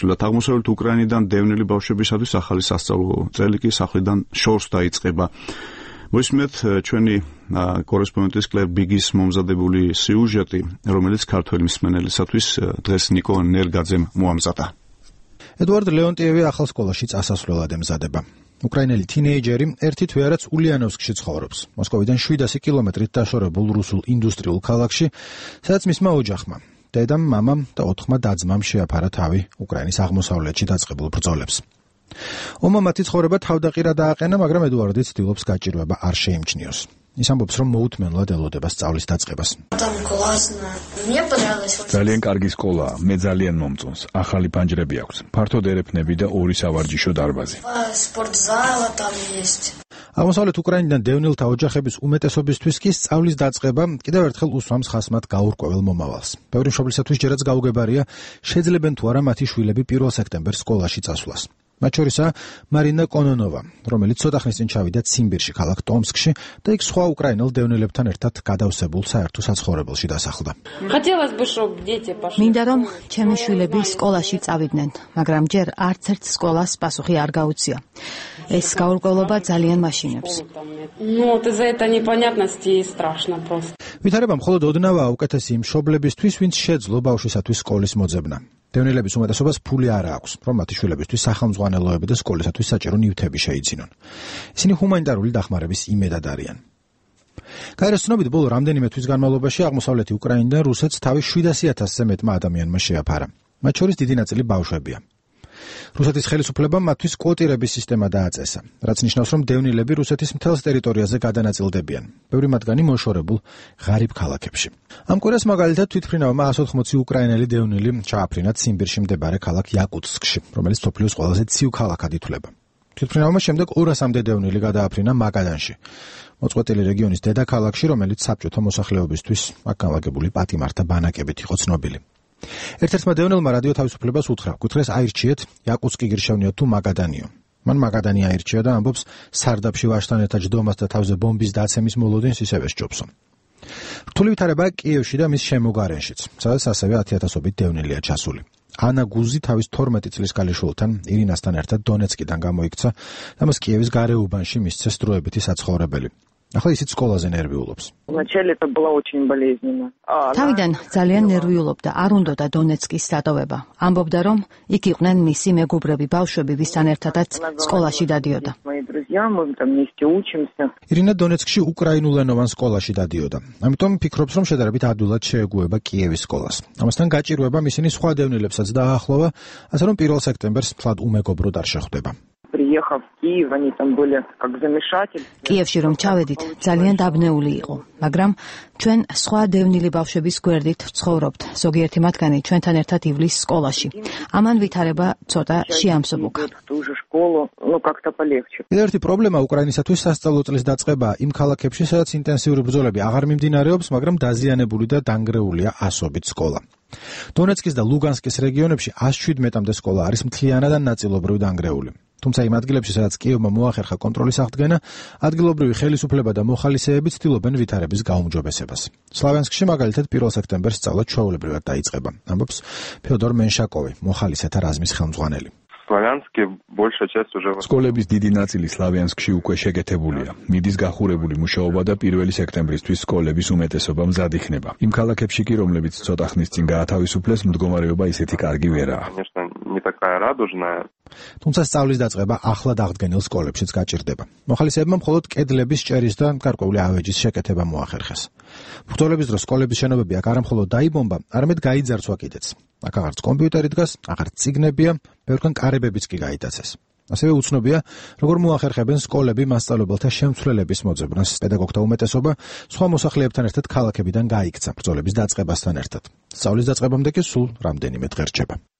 ცვლილად აღმოსავლეთ უკრაინიდან დევნილი ბავშვებისათვის ახალი სასწავლო წელი კი სახლიდან შორს დაიწყება. მოისმენთ ჩვენი კორესპონდენტის კლერ ბიგის მომზადებული სიუჟეტი, რომელიც ქართველი მსმენელისათვის დღეს ნიკო ნერგაძემ მოამზადა. ედვარდ ლეონტიევი ახალ სკოლაში წასასვლელად ემზადება. უკრაინელი თინეიჯერი ერთი თვეარაც ულიანოვსკში ცხოვრობს. მოსკოვიდან 700 კილომეტრით დაშორებულ რუსულ ინდუსტრიულ ქალაქში, სადაც მისმა ოჯახმა, დედამ, მამამ და 4 და-ძმამ შეაფარა თავი უკრაინის აღმოსავლეთში დაწყებულ ბრძოლებს. ომმა მათი ცხოვრება თავდაყირა დააყენა, მაგრამ ედვარდი ცდილობს გაჭირვება არ შეიმჩნიოს. ის ამბობს, რომ მოუთმენლად ელოდება სწავლის დაწყებას. ძალიან კარგი სკოლაა, მე ძალიან მომწონს. ახალი ფანჯრები აქვს, ფართოდ ერეფნები და 2 სავარჯიშო დარბაზი. აღმოსავლეთ უკრაინიდან დევნილთა ოჯახების უმეტესობისთვის კი სწავლის დაწყება კიდევ ერთხელ უსვამს ხასმად გაურკვეველ მომავალს. ბევრი მშობლისათვის ჯერაც გაუგებარია, შეძლებენ თუ არა მათი შვილები 1 სექტემბერს სკოლაში წასვლას. მათ შორისაა მარინა კონონოვა, რომელიც ცოტა ხნის წინ ჩავიდა ციმბირში, ქალაქ ტომსკში და იქ სხვა უკრაინელ დევნილებთან ერთად გადავსებულ საერთო საცხოვრებელში დასახლდა. მინდა რომ ჩემი შვილები სკოლაში წავიდნენ, მაგრამ ჯერ არც ერთ სკოლას პასუხი არ გაუწია. ეს გაურკვევლობა ძალიან მაშინებს. ვითარება მხოლოდ ოდნავაა უკეთესი იმ მშობლებისთვის, ვინც შეძლო ბავშვისათვის სკოლის მოძებნა. დევნილების უმეტესობას ფული არ აქვს, რომ მათი შვილებისთვის სახელმძღვანელოები და სკოლისათვის საჭირო ნივთები შეიძინონ. ისინი ჰუმანიტარული დახმარების იმედად არიან. გაეროს ცნობით, ბოლო რამდენიმე თვის განმავლობაში აღმოსავლეთი უკრაინიდან რუსეთს თავის 700,000-ზე მეტმა ადამიანმა შეაფარა. მათ შორის დიდი ნაწილი ბავშვებია. რუსეთის ხელისუფლებამ მათთვის კვოტირების სისტემა დააწესა, რაც ნიშნავს, რომ დევნილები რუსეთის მთელს ტერიტორიაზე გადანაწილდებიან, ბევრი მათგანი მოშორებულ ღარიბ ქალაქებში. ამ კვირას მაგალითად თვითმფრინავმა 180 უკრაინელი დევნილი ჩააფრინა ციმბირში მდებარე ქალაქ იაკუტსკში, რომელიც მსოფლიოს ყველაზე ცივ ქალაქად ითვლება. თვითმფრინავმა შემდეგ 200-მდე დევნილი გადააფრინა მაგადანში, მოწყვეტილი რეგიონის დედაქალაქში, რომელიც საბჭოთა მოსახლეობისთვის აქ განლაგებული პატიმართა ბანაკებით იყო ცნობილი. ერთ-ერთმა დევნილმა რადიო თავისუფლებას უთხრა, გითხრეს აირჩიეთ იაკუტსკი გირშევნიოთ თუ მაგადანიო. მან მაგადანი აირჩია და ამბობს, სარდაფში ვაჟთან ერთად ჯდომას და თავზე ბომბის დაცემის მოლოდინს ისევე სჯობსო. რთული ვითარებაა კიევში და მის შემოგარენშიც, სადაც ასევე 10,000-ობით დევნილია ჩასული. ანა გუზი თავის 12 წლის ქალიშვილთან ირინასთან ერთად დონეცკიდან გამოიქცა და მას კიევის გარეუბანში მისცეს დროებითი საცხოვრებელი. ახლა ისიც სკოლაზე ნერვიულობს. თავიდან ძალიან ნერვიულობდა, არ უნდოდა დონეცკის დატოვება. ამბობდა, რომ იქ იყვნენ მისი მეგობრები, ბავშვები, ვისთან ერთადაც სკოლაში დადიოდა. ირინა დონეცკში უკრაინულენოვან სკოლაში დადიოდა. ამიტომ ფიქრობს, რომ შედარებით ადვილად შეეგუება კიევის სკოლას. ამასთან გაჭირვებამ ისინი სხვა დევნილებსაც დააახლოვა, ასე რომ 1 სექტემბერს მთლად უმეგობროდ არ შეხვდება. კიევში რომ ჩავედით, ძალიან დაბნეული იყო, მაგრამ ჩვენ სხვა დევნილი ბავშვების გვერდით ვცხოვრობთ. ზოგიერთი მათგანი ჩვენთან ერთად ივლის სკოლაში. ამან ვითარება ცოტა შეამსუბუქა. კიდევ ერთი პრობლემა უკრაინისათვის სასწავლო წლის დაწყება იმ ქალაქებში, სადაც ინტენსიური ბრძოლები აღარ მიმდინარეობს, მაგრამ დაზიანებული და დანგრეულია ასობით სკოლა. დონეცკის და ლუგანსკის რეგიონებში 117-მდე სკოლა არის მთლიანად ან ნაწილობრივ დანგრეული. თუმცა იმ ადგილებში, სადაც კიევმა მოახერხა კონტროლის აღდგენა, ადგილობრივი ხელისუფლება და მოხალისეები ცდილობენ ვითარების გაუმჯობესებას. სლავიანსკში მაგალითად 1 სექტემბერს სწავლა ჩვეულებრივად დაიწყება, ამბობს ფეოდორ მენშაკოვი, მოხალისეთა რაზმის ხელმძღვანელი. სკოლების დიდი ნაწილი სლავიანსკში უკვე შეკეთებულია. მიდის გახურებული მუშაობა და 1 სექტემბრისთვის სკოლების უმეტესობა მზად იქნება. იმ ქალაქებში კი, რომლებიც ცოტა ხნის წინ გაათავისუფლეს, მდგომარეობა ისეთი კარგი ვერაა. თუმცა სწავლის დაწყება ახლად აღდგენილ სკოლებშიც გაჭირდება. მოხალისეებმა მხოლოდ კედლების ჭერის და გარკვეული ავეჯის შეკეთება მოახერხეს. ბრძოლების დროს სკოლების შენობები აქ არა მხოლოდ დაიბომბა, არამედ გაიძარცვა კიდეც. აქ აღარც კომპიუტერი დგას, აღარც წიგნებია, ბევრგან კარებებიც კი გაიტაცეს. ასევე უცნობია, როგორ მოახერხებენ სკოლები მასწავლებელთა შემცვლელების მოძებნას. პედაგოგთა უმეტესობა სხვა მოსახლეებთან ერთად ქალაქებიდან გაიქცა ბრძოლების დაწყებასთან ერთად. სწავლის დაწყებამდე კი სულ რამდენიმე დღე რჩება.